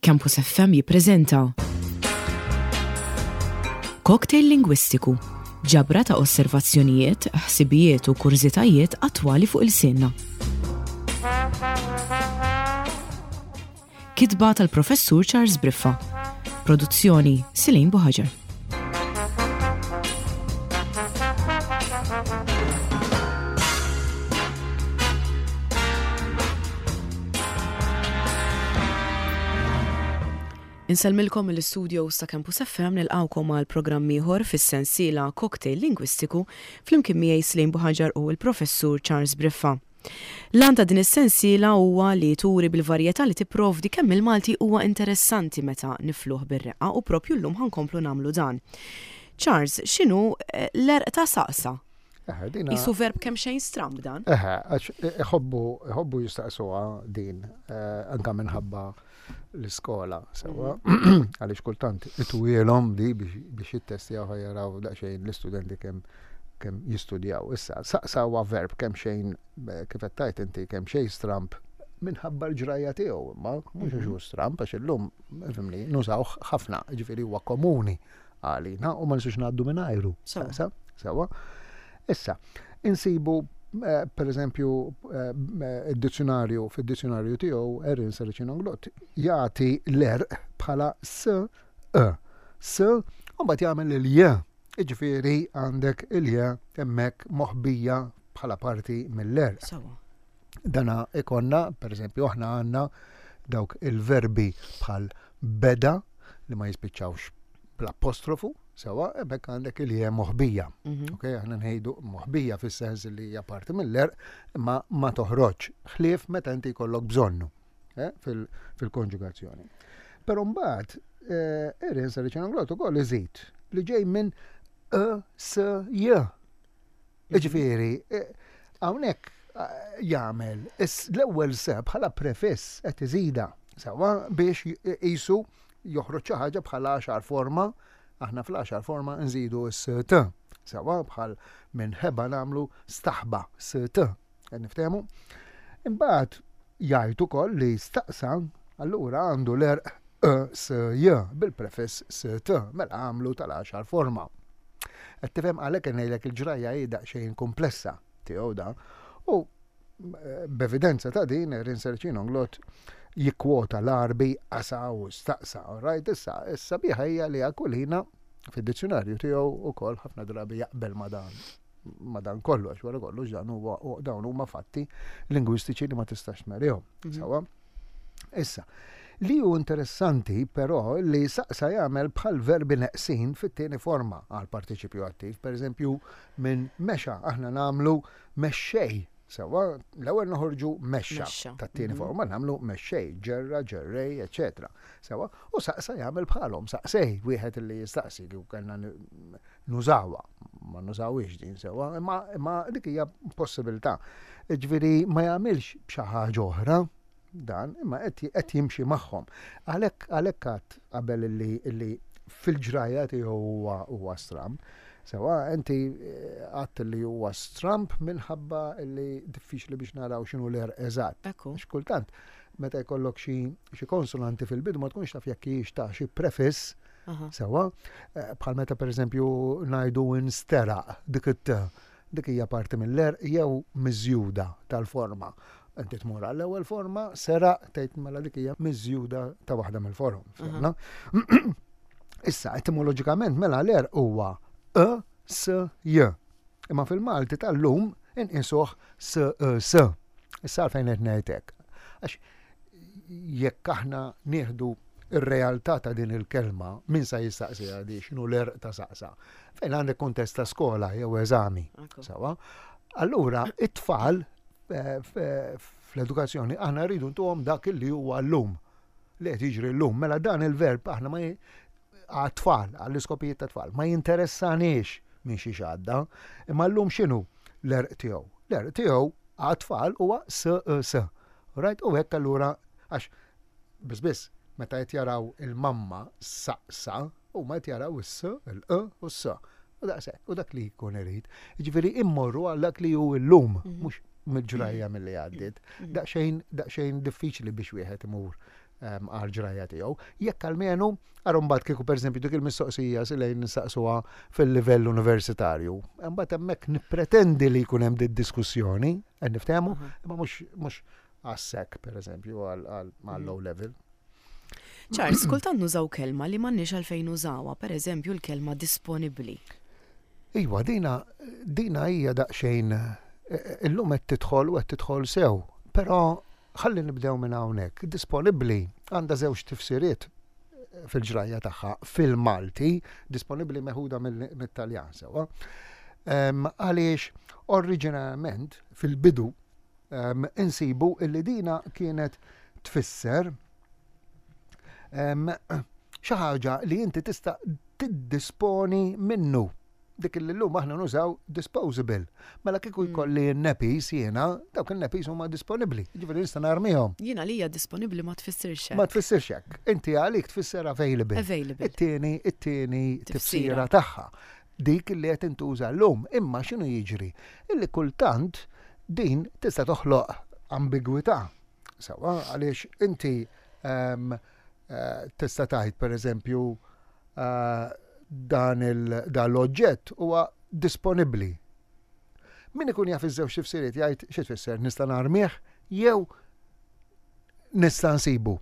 Campus FM jippreżenta Cocktail Lingwistiku, ġabra ta' osservazzjonijiet, ħsibijiet u kurżitajiet attwali fuq ilsienna. Kitba tal-Professur Charles Briffa. Produzzjoni Silin Buħaġar. Insellmilkom mill-istudios ta' Campus FM nilqgħukom għal programm ieħor fis-sensiela Cocktail Lingwistiku flimkien miegħi Slim Buħaġar u l-Professur Charles Briffa. L-għan ta' din is-sensiela huwa li turi bil-varjetà li tipprovdi kemm il-Malti huwa interessanti meta nifluh bir-reqqa u proprju llum ħa nkomplu nagħmlu dan. Charles, x'inhu l-għerq ta' saqsa? Eħe, dina. Isu verb kemm xejn stramb dan. Eħe, għax iħobbu iħobbu jistaqsuha din eh, anka minħabba l-iskola, sewa, mhm. għaliex kultant itwielhom di biex jittestjaw jaraw daqsxejn l-istudenti kemm kemm jistudjaw. Issa, saqsa huwa verb kemm xejn eh, kif qed tgħid inti kemm xejn stramb minħabba l-ġrajja tiegħu, imma mhux għax hu mhm. stramb għax illum fimni nużawh ħafna, ġifieri huwa komuni għalina u ma nistgħux ngħaddu mingħajru. Sewa. Sewa. Issa, insibu eh, per eżempju eh, id-dizzjonarju fid-dizzjonarju tiegħu Erin Saracino Glott jagħti l-erq bħala s e s u mbagħad jagħmel il-j. Jiġifieri għandek il-j hemmhekk moħbija bħala parti mill-erq. Sewa. Dana ikonna, per eżempju, aħna għandna dawk il-verbi bħal beda li ma jispiċċawx bl-apostrofu, sewa, hemmhekk għandek il moħbija. Mhm. Ok, aħna ngħidu moħbija fis-sens li hija parti mill-erq, imma ma toħroġ ħlief meta inti jkollok bżonnu eh, fil-konġugazzjoni. Però mbagħad eh, Erin Saricino ukoll iżid li ġej minn e s j Jiġifieri, hawnhekk jagħmel l-ewwel se bħala prefiss qed iżida sewwa biex qisu joħroġ xi ħaġa bħala għaxar forma, aħna fl-għaxar forma nżidu s-t. Sewwa bħal minn ħeba nagħmlu staħba s-t. Qed niftehmu? Imbagħad jgħid ukoll li staqsa allura għandu l-erq e s j bil-prefiss s t mela għamlu tal-għaxar forma. Qed tifhem għalhekk ngħidlek il-ġrajja hi daqsxejn komplessa tiegħu da. U eh, b'evidenza ta' din Rinserċin Onglot jikkwota l-Arbi qasa u staqsa. Right, issa, issa biħa hija li Aquilina fid-dizzjonarju tiegħu ukoll ħafna drabi jaqbel ma' dan ma dan kollox, wara kollox dan huwa dawn huma fatti lingwistiċi li ma tistax tmerihom. Mhm. Sawa? Issa, li hu interessanti però li saqsa jagħmel bħal verbi neqsin fit-tieni forma għal partiċipju attiv. Per eżempju, minn mexa aħna nagħmlu mexxej. Sewa, l-ewwel noħorġu mexxa tat-tieni mhm. forma nagħmlu mexxej, ġerra, ġerrej, eċetera. Sewa, u saqsa jagħmel bħalhom, saqsej wieħed li jistaqsi kieku kellna nużawha, ma nużawhiex din sewwa, imma, imma dik hija possibilità. Ġifieri ma jagħmilx b'xi ħaġa oħra dan, imma qed jimxi magħhom. Għalhekk għalhekk għad qabel illi illi fil-ġrajja tiegħu huwa huwa stramb. Sewa, inti eh, għadt li huwa stramb minħabba li diffiċli biex naraw x'inhu l-għerq eżatt. Ekku. Għax kultant meta jkollok xi xi konsonanti fil-bidu ma tkunx taf jekk hijiex ta' xi prefiss Sewa, eh, bħal meta pereżempju ngħidu insteraq dik it dik hija parti mill-erq jew miżjuda tal-forma. Inti tmur għall-ewwel forma, seraq tgħid mela dik hija miżjuda ta' waħda mill-forom. Issa, etimoloġikament mela l-erq huwa e s j. Imma fil-Malti tal-lum inqisuh s e s. Issa għalfejn qed ngħid hekk. Għax jekk aħna nieħdu ir-realtà ta' din il-kelma, min sa jistaqsiha di x'inhu l-għerq ta' saqsa? Fejn għandek kuntest ta' skola jew eżami. Sawa? Allura, it-tfal eh, fl-edukazzjoni aħna rridu ntuhom dak li huwa llum li qed jiġri llum. Mela dan il-verb aħna ma għat-tfal, għall-iskopijiet ta' tfal, ma jinteressanix minn xi għadda, imma llum x'inhu l-erq tiegħu? L-erq tiegħu għat-tfal huwa s e s. Right? U hekk allura għax Biss biss, meta qed jaraw il-mamma saqsa, huma qed jaraw is-s, il-q u s-s. U daqshekk, u dak li jkun irid. Jiġifieri immorru għal dak li hu llum, mhm. mhux mill-ġrajja milli għaddiet. Mhm. Daqsxejn daqsxejn diffiċli biex wieħed imur. għal ġrajja tiegħu. Jekk almenu, ara mbagħad kieku pereżempju dik il-mistoqsija silejn nistaqsuha fil-livell universitarju, mbagħad hemmhekk nippretendi li jkun hemm diskussjoni, qed niftehmu, imma mhux għas-sek pereżempju għal low level. Charles, kultant nużaw kelma li m'għandniex għalfejn nużawha, pereżempju l-kelma disponibbli. Iva, dina dina hija daqsxejn illum qed tidħol u qed tidħol sew, però ħalli nibdew minn hawnhekk. Disponibbli għandha żewġ tifsiriet fil-ġrajja tagħha fil-Malti, disponibbli meħuda mit-Taljan sewwa. Għaliex oriġinarjament fil-bidu insibu illi dina kienet tfisser xi ħaġa li inti tista' tiddisponi minnu. Dik li llum aħna nużaw disposable. Mela kieku mm. jkolli n-nepis jiena, dawk in-nepis huma disponibbli. Ġifieri nista' narmihom. Jiena li hija disponibbli ma tfissirx hekk. Ma tfissirx hekk. Inti għalik tfisser available. Available. It-tieni, it-tieni tifsira tagħha. Dik li qed intuża llum. Imma x'inhu jiġri? Illi kultant din tista' toħloq ambigwità. Sewwa, għaliex inti ehm, eh, tista' tgħid pereżempju eh, dan l-oġġett huwa disponibbli. Min ikun jaf iż-żewġ tifsiriet jgħid xi tfisser nista' narmih jew nista' nsibu.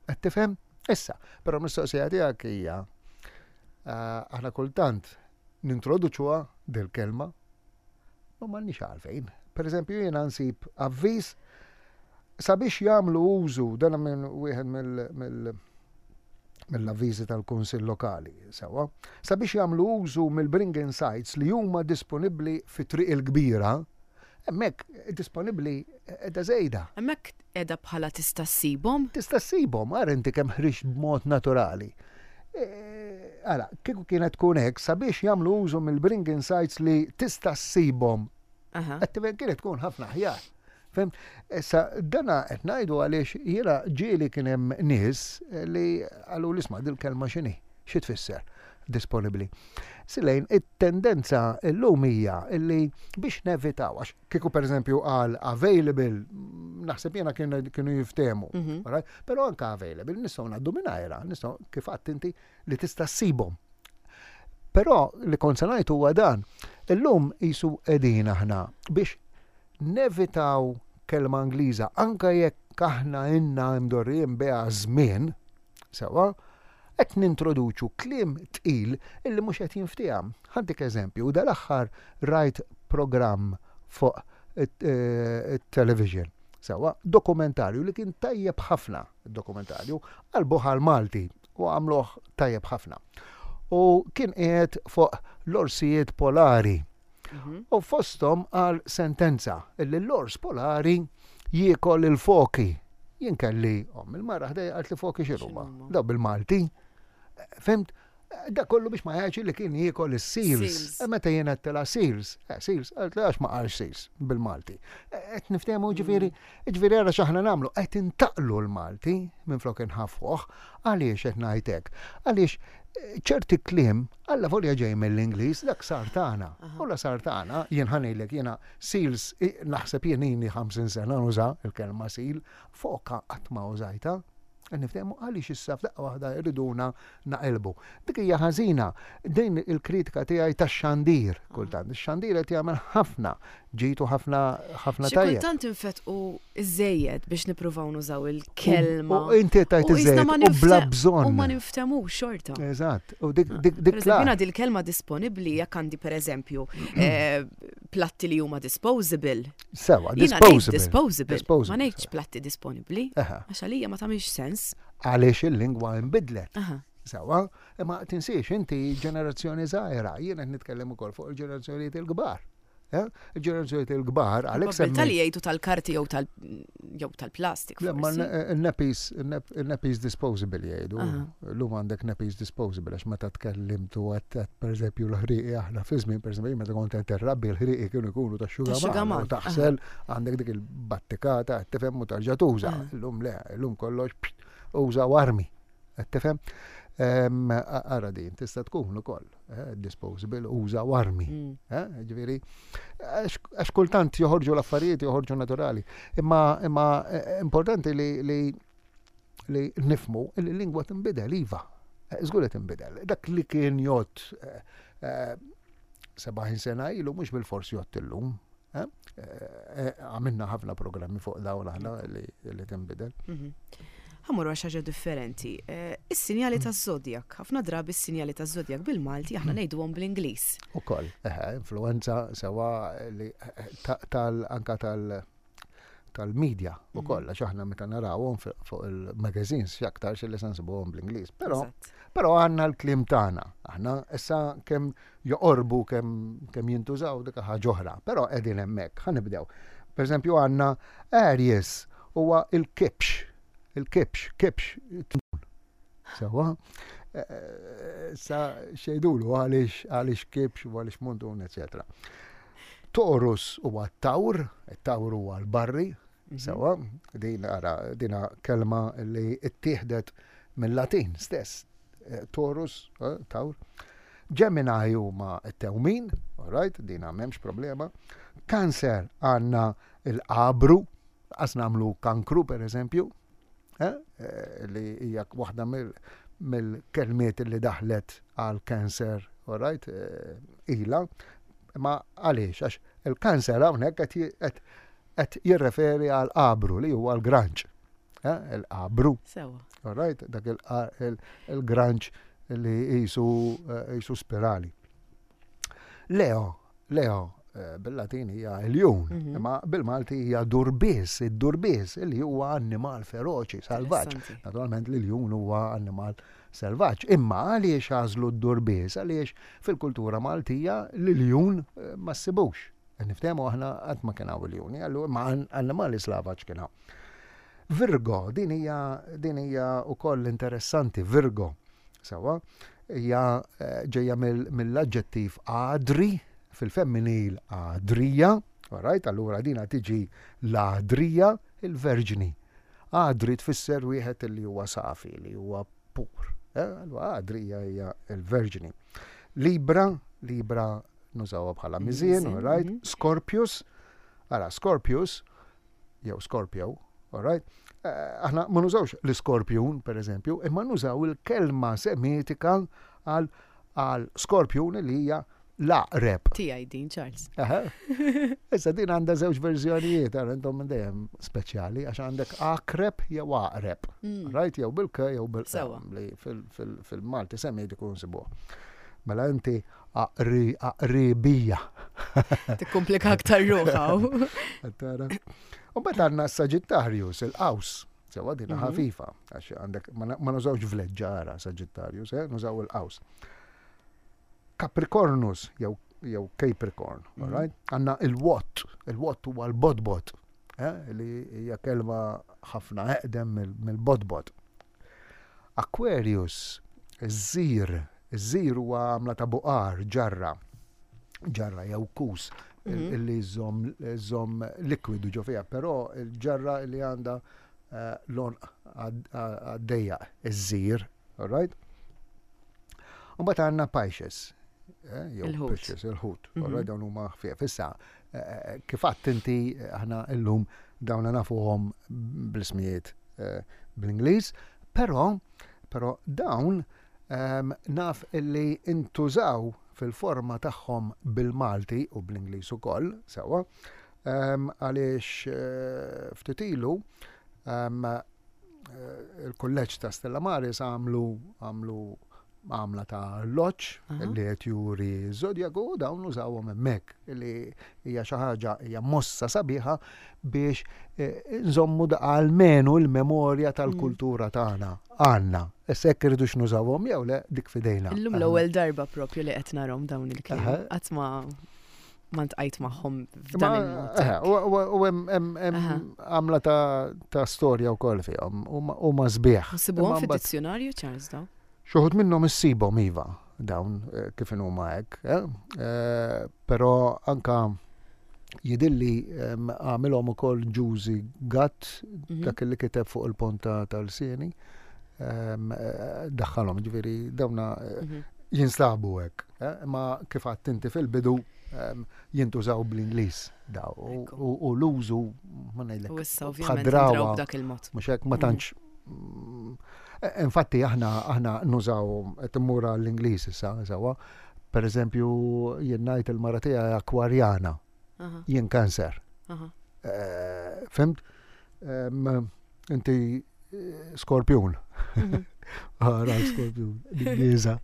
Qed tifhem? Issa, però mistoqsija tiegħek hija eh, aħna kultant nintroduċuha dil-kelma ma m'għandniex għalfejn. Per eżempju jiena nsib avviż sabiex jagħmlu użu dan minn wieħed mill mill-avviżi tal-Kunsill Lokali, sewwa, sabiex jagħmlu użu mill-bring in sites li huma disponibbli fi Triq il-Kbira, hemmhekk disponibbli qiegħda żejda. Hemmhekk Qiegħda bħala tista' ssibhom? Tista' ssibhom, ara inti kemm ħriġt b'mod naturali. E, ara, kieku kienet tkun hekk sabiex jagħmlu użu mill-bring insights li tista' ssibhom. Qed kienet tkun ħafna aħjar. Fem? Issa dana qed ngħidu għaliex jiena ġieli kien hemm nies li qalu l-isma' dil-kelma x'inhi, xi tfisser disponibbli. Silejn, it-tendenza llum hija li biex nevitaw, għax Kieku pereżempju qal available, naħseb jiena kienu jiftehmu. Mhm. Però anke available nistgħu ngħaddu mingħajra, nistgħu kif għadt inti li tista' ssibhom. Però li kont se ngħid huwa dan, illum qisu qegħdin aħna biex nevitaw kelma Ingliża anke jekk aħna inna imdorrijin biha żmien, Sewwa, qed nintroduċu kliem tqil illi mhux qed jinftiehem. Ħa ntik eżempju, dal-aħħar rajt programm fuq it-television. Sewwa, dokumentarju li kien tajjeb ħafna, dokumentarju, qalbuh għall-Malti u għamluh tajjeb ħafna. U kien qiegħed fuq l-orsijiet polari. Mhm. U fosthom għal sentenza illi l-ors polari jiekol il-foki. Jien kelli om il-mara ħdejja qalt li foki x'inhuma. Daw bil-Malti. Fimt? Da kollu biex ma jgħidx li kien jiekol is-seals. E meta jien għedtilha seals, eh, seals, qalt li għax ma qalx seals bil-Malti. E, qed niftehmu ġifieri, mm. ġifieri ara x'aħna nagħmlu, qed intaqlu l-Malti minflok inħaffuh. Għaliex qed ngħid hekk? Għaliex eh, ċerti kliem Alla volja ġej mill-Ingliż, dak sar tagħna. U la sar tagħna, jien ħa ngħidlek jiena seals naħseb jien ili 50 sena nuża l-kelma seal, foka qatt ma użajtha. Qed niftehmu għaliex issa f'daqqa waħda jriduna naqilbu. Dik hija ħażina. Din il-kritika tiegħi tax-xandir kultant. Ix-xandir qed jagħmel ħafna ġid u ħafna ħafna tajjeb. Xi kultant infetqu iżżejjed biex nippruvaw nużaw il-kelma. U inti tajt iżżejjed u bla bżonn. U ma niftemux xorta. Eżatt. U dik dik dik. Jiena dil-kelma disponibbli jekk għandi pereżempju eh, platti li huma disposable. Sewa, disposable. Disposable. Ma ngħidx platti disponibbli. Għax għalija ma tagħmilx sens. Għaliex il-lingwa nbidlet. Sewa, imma tinsiex inti ġenerazzjoni żgħira, jien qed nitkellem ukoll fuq il-ġenerazzjonijiet il-kbar. Eh? Il-ġenerazzjonijiet il-kbar għalhekk semmi. Tal jgħidu tal-karti jew tal jew tal-plastik. Ma n-nappies n-nappies disposable jgħidu. Lum għandek nappies disposable għax meta tkellimtu għat pereżempju l-ħrieqi aħna fi żmien pereżempju meta kont qed irrabbi l-ħrieqi kienu jkunu ta' xugaman. Taħsel għandek dik il-battikata qed tifhem u tarġa' tuża. Illum le, illum kollox uża armi. Qed tifhem? Ara din tista' tkun ukoll eh, disposable uża armi. Mm. Eh, ġifieri, għax kultant joħorġu l-affarijiet joħorġu naturali. Imma imma eh, importanti li li li nifhmu li l-lingwa tinbidel iva. Żgur li tinbidel. Dak li kien jgħodd 70 sena ilu mhux bilfors jgħodd illum. Għamilna ħafna programmi fuq dawn aħna li tinbidel. Ħa mmorru għal xi ħaġa differenti. Is-sinjali taż-żodjak. Ħafna drabi s-sinjali taż-żodjak bil-Malti aħna ngħiduhom bl-Ingliż. Ukoll, influenza sewa li tal anka tal tal-media u mhm. koll, għax aħna meta narawhom fuq il-magazines x'aktar xi li se nsibuhom bl-Ingliż. Però però għandna l-kliem tagħna. Aħna issa kemm joqorbu kemm kemm jintużaw dik ħaġa oħra, però qegħdin hemmhekk. Ħa nibdew. Per eżempju għandna Aries huwa il-kibx, il-kibx, kibx Sewa, eh, eh, sa xejdulu għaliex għaliex kibx u għaliex mundun, eccetera. Taurus huwa t-tawr, it-tawr huwa l-barri, mhm. sewa, din ara dina kelma li ttieħdet mill-Latin stess. Eh, Taurus, tawr. Gemini huma t-tewmin, all right, dina m'hemmx problema. Cancer għandna il-qabru, qas nagħmlu kankru per eżempju, eh, eh, li hija waħda mill-kelmiet li daħlet għal cancer, all right, eh, ila. Ma għaliex, għax il-kanser hawnhekk qed jirreferi għal qabru li huwa l-granċ. Il-qabru. Sewa. All right, dak il-granċ li jisu spirali. Leo, Leo eh, bil-Latin hija iljun, mhm. imma bil-Malti hija durbies, id-durbies li huwa annimal feroċi, salvaġġ. Naturalment l-iljun huwa annimal selvaġġ. Imma għaliex għażlu d-durbies? Għaliex fil-kultura Maltija l-iljun eh, ma ssibux. Niftehmu aħna qatt ma kien hawn iljuni, allura ma annimali slavaġ kien hawn. Virgo, din hija din hija wkoll interessanti, Virgo. Sewa, hija eh, ġejja mill-aġġettiv għadri, fil-femminil għadrija, alright, allura dina tiġi l-għadrija, il-verġni. Għadri tfisser wieħed li huwa safi, li huwa pur. Eh, allura għadrija hija l-verġni. Libra, Libra nużawha bħala miżien, alright, mhm. Scorpius, ara Scorpius, jew Scorpio, alright? Eh, aħna ma nużawx l-iskorpjun, per eżempju, imma nużaw il-kelma semitika għal għal skorpjun li hija l-aqreb. Tiegħi din, Charles. Issa din għandha żewġ verżjonijiet, għal intom minn dejjem speċjali, għax għandek akreb jew aqreb. Mm. Right, jew bil-k jew bil-k li fil-Malti semitiku nsibuh. Mela inti aqri aqribija. Tikkomplika aktar ruħa. Tara. U mbagħad għandna Sagittarius, il-qaws. Sewa dina mhm. ħafifa, għax għandek ma nużawx vleġġara Sagittarius, eh, nużaw il-qaws. Capricornus jew jew Capricorn, mm -hmm. right? Għandna il-wot, il-wot huwa l-bodbot, eh, li hija kelma ħafna eqdem mill-bodbot. Aquarius, iż-żir, iż-żir huwa għamla ta' buqar, ġarra, ġarra jew kus mhm. li żomm likwidu ġo fiha, però il-ġarra li għandha eh, l-onq għaddejja, iż-żir, all right? U mbagħad għandna Pisces, eh, jew Pisces, il-ħut, all right, mhm. dawn huma ħfief. Issa, eh, kif għadt inti aħna illum dawna nafuhom bl-ismijiet bl-Ingliż, però però dawn ehm, naf illi intużaw fil-forma tagħhom bil-Malti u bl-Ingliż ukoll, sewwa, ehm, għaliex eh, ftit ilu ehm, eh, il-kulleġġ ta' Stella Maris għamlu għamlu għamla ta' arloġġ li qed juri ż-żodjaku u dawn użawhom hemmhekk li hija xi ħaġa hija mossa sabiħa biex eh, nżommu almenu l-memorja tal-kultura tagħna għandna. Issa jekk irridux nużawhom jew le dik fidejna. Illum l-ewwel darba propju li qed narhom dawn il-kliem. Qatt ma ma ntqajt magħhom f'dan il-mod. U hemm għamla ta' storja wkoll fihom u ma sbieħ. Nsibuhom fid-dizzjonarju Charles daw? Xi wħud minnhom issibhom iva dawn eh, kif huma hekk, eh? Eh, però anka jidilli għamilhom ukoll Ġużi Gatt mhm. dak li kiteb fuq il-ponta tal-sieni daħħalhom ġifieri dawna mhm. jinstabu hekk. Imma kif għadt inti fil-bidu jintużaw bl-Ingliż daw u l-użu ma ngħidlek. U issa ovvjament dak il-mod. Mhux hekk ma mhm. tantx. Infatti aħna aħna nużaw qed immur għall-Ingliż issa, sewwa. Per eżempju, jien ngħid il-mara tiegħi akwarjana. Jien kanser. Eh, fimt? Inti eh, skorpjun. Mhm. Għara skorpjun, l-Ingliża.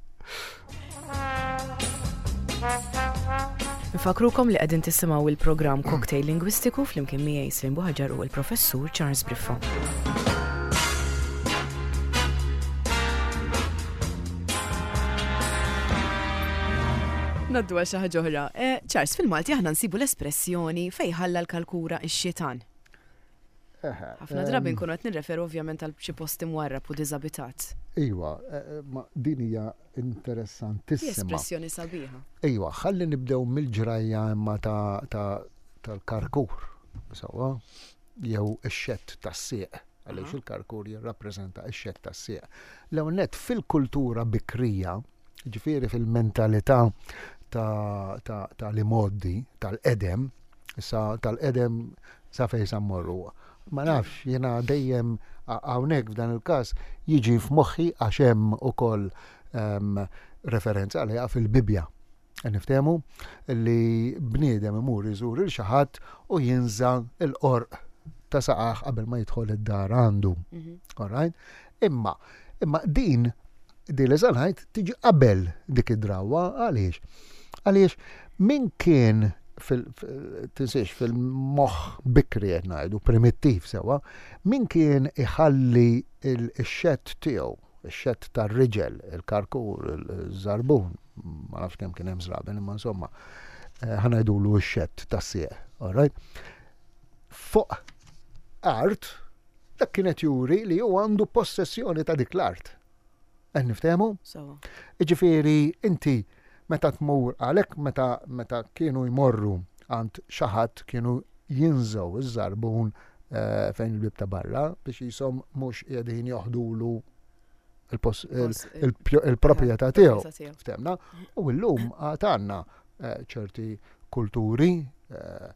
Nfakrukom li qegħdin tisimgħu il-programm Cocktail Lingwistiku flimkien miegħi Slim Buħaġar u l-Professur Charles Briffa. Naddu għal xi ħaġa oħra. Eh, Charles, fil-Malti aħna nsibu l-espressjoni fejn ħalla l-kalkura x-xitan. Ħafna drabi nkunu qed nirreferu ovvjament għal xi post imwarrab u diżabitat. Iwa, eh, eh, ma din hija interessantissima. Espressjoni sabiħa. Iwa, ħalli nibdew mill-ġrajja imma tal-karkur, sewwa, jew ix-xett tas-sieq, għaliex il-karkur jirrappreżenta x-xett tas-sieq. L-ewwel nett fil-kultura bikrija, Ġifieri fil-mentalità ta' l-imgħoddi, tal-qedem, issa tal-qedem sa fejn sa mmorru. Ma nafx, jiena dejjem hawnhekk f'dan il-każ jiġi f'moħħi għax hemm ukoll ehm, referenza għaliha fil-Bibbja. Niftehmu li bniedem imur iżur il xi ħadd u jinża l-qorq ta' saqaħ qabel ma jidħol id-dar għandu. Mhm. All right? Imma, imma din din li sa ngħid tiġi qabel dik id-drawwa għaliex? Għaliex min kien fil tinsiex fil-moħħ bikri qed ngħidu primittiv sewwa, min kien iħalli x-xett tiegħu, ix-xett tar-riġel, il-karkur, il-żarbun, ma nafx kemm kien hemm żraben, imma insomma, eh, ħa ngħidulu x-xett tas-sieq, all right? Fuq art Dak kien qed juri li hu għandu possessjoni ta' dik l-art. Qed niftehmu? Jiġifieri inti meta tmur għalhekk meta meta kienu jmorru għand xi ħadd kienu jinżgħu iż-żarbun eh, fejn il-bib ta' barra biex jisom mhux qegħdin joħdulu il-proprjetà tiegħu. Ftemna? U llum għad għandna eh, ċerti kulturi eh,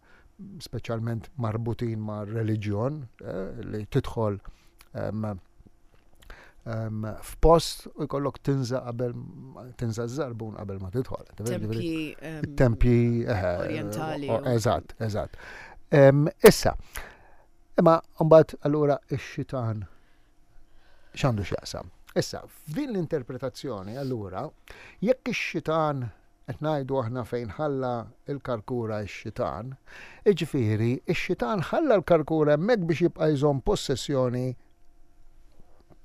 speċjalment marbutin ma' reliġjon eh, li tidħol f'post u jkollok tinża qabel tinża żarbun qabel ma tidħol. Tempji tempji eh, orientali. Eżatt, eżatt. Issa, imma mbagħad allura ix-xitan x'għandu x'jaqsam. Issa, f'din l-interpretazzjoni allura jekk ix-xitan Qed ngħidu aħna fejn ħalla l-karkura x-xitan, jiġifieri x-xitan ħalla l-karkura hemmhekk biex jibqa' jżomm possessjoni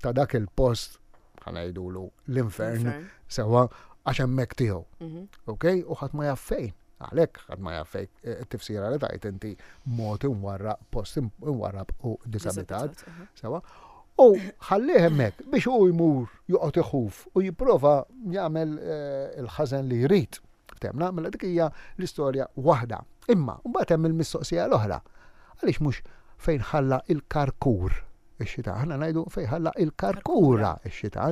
ta' dak il-post, ħa ngħidulu l-infern, sewwa għax hemmhekk tiegħu. Mhm. Ok? U ħadd ma jaf fejn. Għalhekk ħadd ma jaf fejn eh, it-tifsira li tajt inti mod imwarraq, post imwarrab u disabitat. Sewwa. U ħallih hemmhekk biex hu jmur joqgħod iħuf u jipprova jagħmel eh, il-ħażen li jrid. Temna, mela dik hija l-istorja waħda. Imma mbagħad hemm il-mistoqsija l-oħra. Għaliex mhux fejn ħalla il-karkur ix-xita. Aħna ngħidu fejn ħalla il-karkura ix-xita.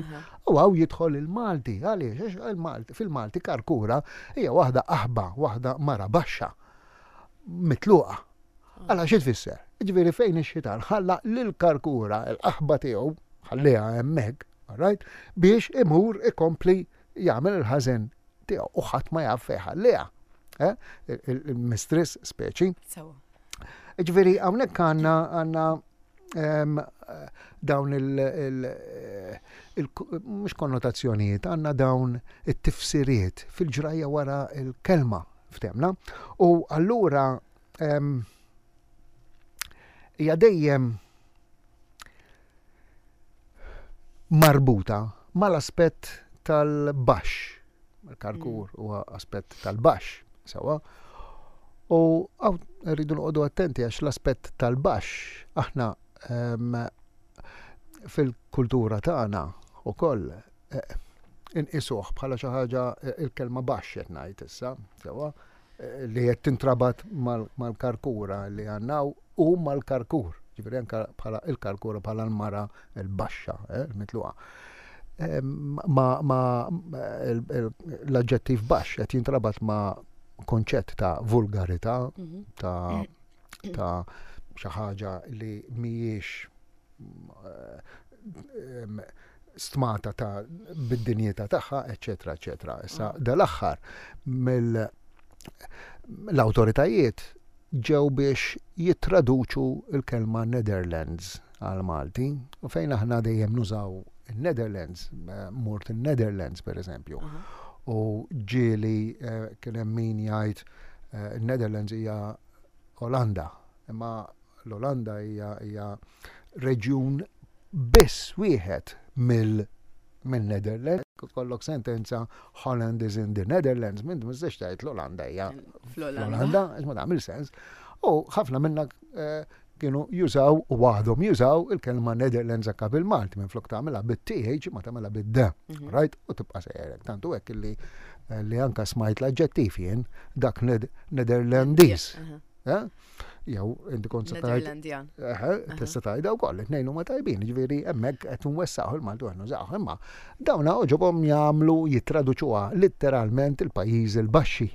U hawn jidħol il-Malti, għaliex il-Malti fil-Malti karkura hija waħda aħba, waħda mara baxxa, mitluqa. Għala xi tfisser? Ġifieri fejn ix-xitan ħalla lil karkura l-qaħba tiegħu, ħalliha hemmhekk, right, biex imur ikompli jagħmel il-ħażen tiegħu u ħadd ma jaf fejn ħalliha. Eh? Il-mistress speċi. Ġifieri hawnhekk għandna għandna dawn il, mhux konnotazzjonijiet, għandna dawn it-tifsiriet fil-ġrajja wara il-kelma ftemna. U allura hija dejjem marbuta mal-aspett tal-baxx. Il-karkur mm. huwa aspett tal-baxx, sewwa. U għaw rridu noqogħdu attenti għax l-aspett tal-baxx aħna fil-kultura tagħna ukoll eh, inqisuh bħala xi ħaġa eh, il-kelma baxx qed ngħid issa, sewwa li qed tintrabat mal-karkura li għandna u mal-karkur. Ġifieri anke bħala il-karkura bħala l-mara l-baxxa, eh, l-mitluqa. Ma, ma l-aġġettiv baxx qed jintrabat ma' konċett ta' vulgarità, mhm. ta' ta' xi ħaġa li mhijiex eh, stmata ta' bid-dinjità tagħha, eċetera, eċetera. Issa mm. dal-aħħar mill l-awtoritajiet ġew biex jittraduċu l-kelma Netherlands għal Malti u fejn aħna dejjem nużaw il-Netherlands, eh, mort il-Netherlands per eżempju. U ġieli eh, kien hemm min jgħid eh, il-Netherlands hija Olanda, imma l-Olanda hija hija reġjun biss wieħed mill mill-Netherlands. Kollok sentenza Holland is in the Netherlands, minn ma tistax tgħid l-Olanda hija fl-Olanda, ma tagħmel sens. U ħafna minna eh, kienu jużaw u għadhom jużaw il-kelma Netherlands anka bil-Malti minn flok tagħmilha bit-TH ma tagħmilha bid-D. Mhm. Right? U tibqa' sejjerek. Tantu hekk li eh, li anka smajt l-aġġettiv jien dak Netherlandiż. Eh? Jew inti kont se tgħid. Tista' tgħidha wkoll, it-tnejn huma tajbin, jiġifieri hemmhekk qed nwessaħu l-Malti u qed nużawh. Imma dawn għoġobhom jagħmlu jittraduċuha litteralment il-Pajjiżi l-Baxxi.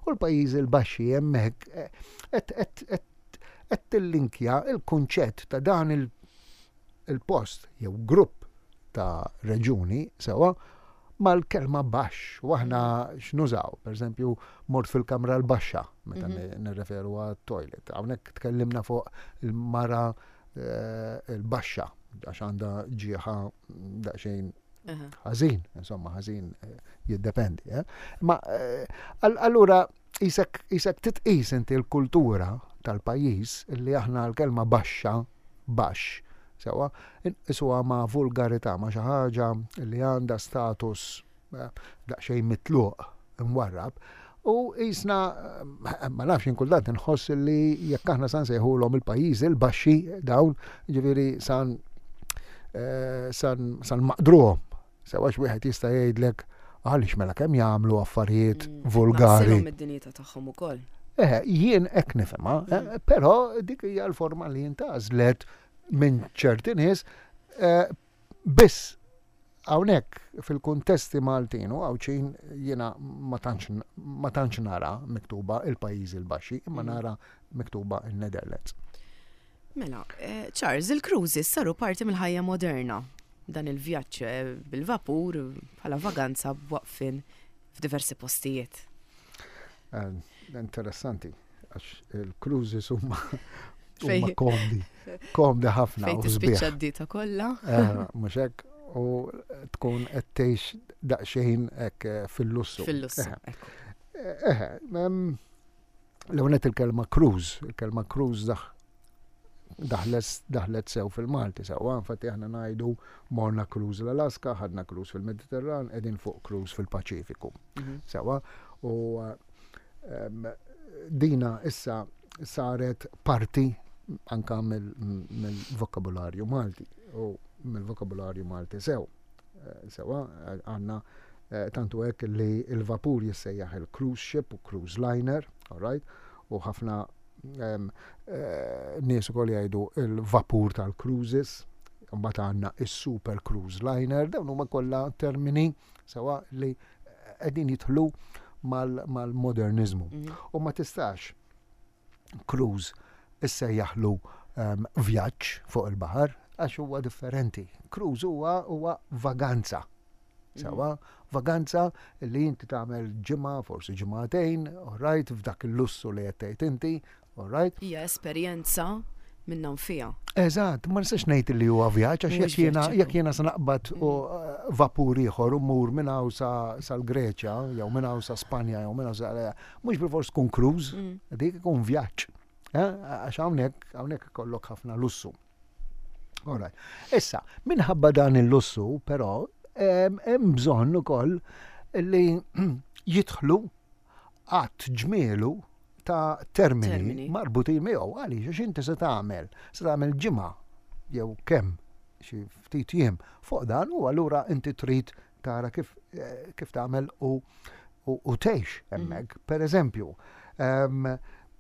U l-Pajjiżi l-Baxxi hemmhekk eh, qed tillinkja il-kunċett ta' dan il-post jew grupp ta' reġuni sewwa mal-kelma baxx u aħna x'nużaw, pereżempju mort fil-kamra l-baxxa meta mhm. nirreferu għat-toilet. Hawnhekk tkellimna fuq il-mara eh, il-baxxa għax għandha ġieħa daqsxejn ħażin, insomma ħażin eh, jiddependi. Eh? Ma allura isek titqis inti l-kultura tal-pajjiż li aħna l-kelma baxxa baxx, sewwa, inqisuha ma' vulgarità, ma' xi ħaġa li għandha status eh, daqsxejn mitluq, imwarrab, u jisna, eh, ma nafx inkultant inħoss li jekk aħna san sejħulhom il-pajjiżi l-baxxi dawn, ġifieri san eh, san san maqdruhom. Sewa wieħed jista' jgħidlek għaliex mela kemm jagħmlu affarijiet mm, vulgari. id-dinjità tagħhom ukoll. Eh, jien hekk nifhimha, eh, mm. però dik hija l-forma li jintgħażlet minn ċerti nies eh, biss hawnhekk fil-kuntesti Maltin u Għawdxin jiena ma tantx nara miktuba il-pajjiżi l-baxxi, imma mm. nara miktuba il-Netherlands. Mela, eh, Charles, il-cruises saru parti mill-ħajja moderna. Dan il-vjaġġ eh, bil-vapur bħala vaganza b'waqfin f'diversi postijiet. Eh, interessanti, għax il-cruises huma huma komdi, komdi ħafna. Fejn tispiċċa d-dieta kollha. Mhux hekk, u tkun qed tgħix daqsxejn hekk fil-lussu. Fil-lussu. Eħe, L-ewwel il-kelma cruise, il-kelma cruise daħ daħlet sew fil-Malti sewwa, infatti aħna ngħidu morna cruise l-Alaska, ħadna cruise fil-Mediterran, qegħdin fuq cruise fil-Paċifiku. Mhm. Sewwa, u ehm, dina issa saret parti anka mill-vokabularju Malti u mill-vokabularju Malti sew. Eh, sewa, eh, għanna eh, tantu hekk li il-vapur jissejjaħ il-cruise ship u cruise liner, all right? U ħafna nies ukoll jgħidu il-vapur tal-cruises, mbagħad għandna is-super cruise liner, dawn huma kollha termini sewa li qegħdin jidħlu mal-modernizmu. Mhm. U ma tistax cruise issejjaħlu ehm, vjaġġ fuq il-baħar għax huwa differenti. Cruise huwa huwa vaganza. Sewa, vaganza li inti tagħmel ġimgħa, forsi ġimgħatejn, all right, f'dak il-lussu li qed tgħid inti, all right. Hija esperjenza minnha nfiha. Eżatt, ma nistax ngħid li huwa vjaġġ għax jekk jiena jekk jiena se naqbad u mm. eh, vapur ieħor u mur minn hawn sal-Greċja jew minn hawn sa Spanja jew minn hawn sa mhux bilfors tkun cruise, mm. dik ikun vjaġġ. Eh, għax hawnhekk hawnhekk ikollok ħafna lussu. Alright. Issa, minħabba dan il-lussu, però, hemm bżonn ukoll li jidħlu għadd ġmielu ta' termini, termini. marbutin miegħu għaliex għax inti se tagħmel, se tagħmel ġimgħa jew kemm xi ftit jiem fuq dan u allura inti trid tara kif, eh, kif tagħmel u u tgħix hemmhekk. Mm. Per eżempju, ehm,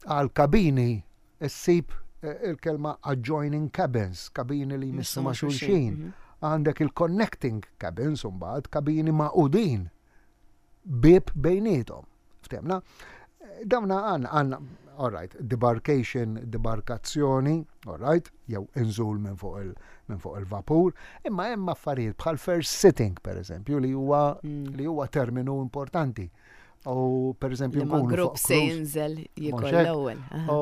għal kabini ssib eh, il-kelma adjoining cabins, kabini li jmissu ma' xulxin. Mhm. Għandek il-connecting cabins, mbagħad kabini maqudin bieb bejniethom. Ftemna? Dawna għanna, għanna, All right, debarkation, debarkazzjoni, all right, jew inżul minn fuq il minn fuq il-vapur, imma hemm affarijiet bħal first sitting per eżempju li huwa mm. li huwa terminu importanti. U per eżempju nkunu grupp se jinżel jikol l-ewwel. U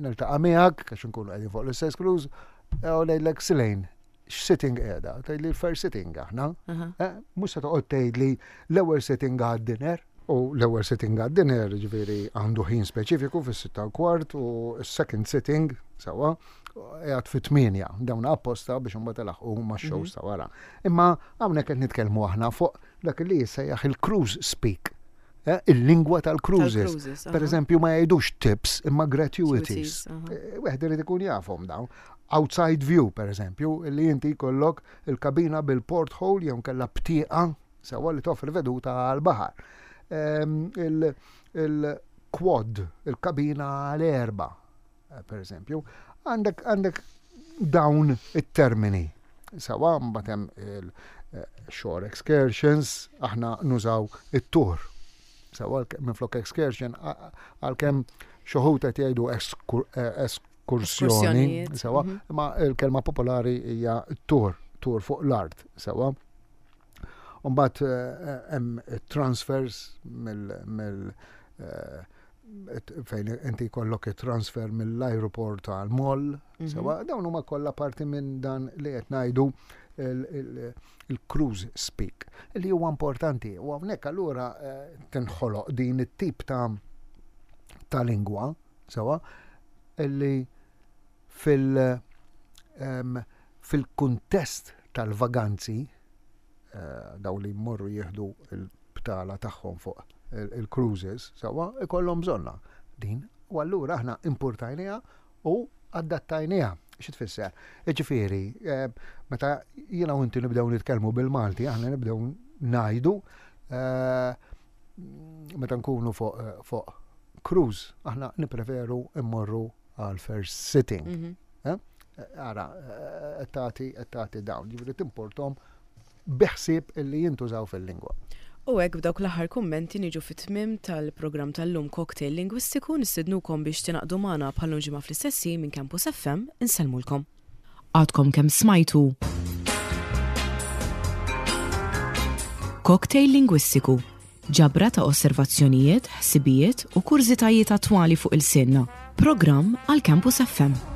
niltaqa' miegħek għax nkunu qegħdin fuq l-istess cruise u ngħidlek Silejn, x'sitting qiegħda? Tgħidli l-first sitting aħna. Eh, mhux se toqgħod tgħidli l-ewwel sitting għad-dinner. U l-ewwel sitting għad-dinner ġifieri għandu ħin speċifiku fis-sitta u kwart u s-second sitting sewwa qiegħed fit-tmienja. Dawn apposta biex imbagħad ilaħqu max-shows mhm. ta' wara. Imma hawnhekk qed nitkellmu aħna fuq dak li jissejjaħ il-cruise speak. Eh, il-lingwa tal-cruises. Per eżempju, ma jgħidux tips imma gratuities. Eh, wieħed irid ikun jafhom dawn. Outside view, per eżempju, li inti jkollok il-kabina bil-porthole jew kella btieqa sewwa li toffri veduta għal-baħar. Ehm, il-quad, il-kabina għal-erba, eh, per eżempju, għandek għandek dawn it-termini. Sawa mbagħad hemm il-shore eh, excursions, aħna nużaw it-tur. Sawa minflok excursion għalkemm xoħut qed jgħidu eh, eskursjoni, sewa, mhm. imma l-kelma popolari hija tur, tur fuq l-art, sewa. Umbat eh, hemm transfers mill eh, fejn inti jkollok transfer mill-aeroport għal mall, mhm. sewa dawn huma kollha parti minn dan li qed ngħidu il-cruise speak li huwa importanti u hawnhekk allura eh, tinħoloq din it-tip ta' ta' lingwa sewa illi fil fil-kuntest tal-vaganzi eh, daw li jmorru jieħdu l-btala tagħhom fuq il-cruises, sewwa ikollhom bżonna din. U allura aħna importajniha u adattajniha. Xi tfisser? Jiġifieri, eh, meta jiena u inti nibdew nitkellmu bil-Malti, aħna nibdew ngħidu eh, meta nkunu fuq fuq cruise, aħna nipreferu immorru għal first sitting. Mhm. Eh? Ara, eh, tagħti tagħti dawn, ġifieri timportom biħsieb illi jintużaw fil-lingwa. U hekk b'dawk l-aħħar kummenti niġu fit-tmiem tal-programm tal-lum Cocktail Lingwistiku nistednukom biex tingħaqdu magħna bħal ġimgħa fl-istess ħin minn Campus FM insellmulkom. Għadkom kemm smajtu Cocktail Lingwistiku Ġabra ta' osservazzjonijiet, ħsibijiet u kurżitajiet attwali fuq ilsienna. Programm għal Campus FM.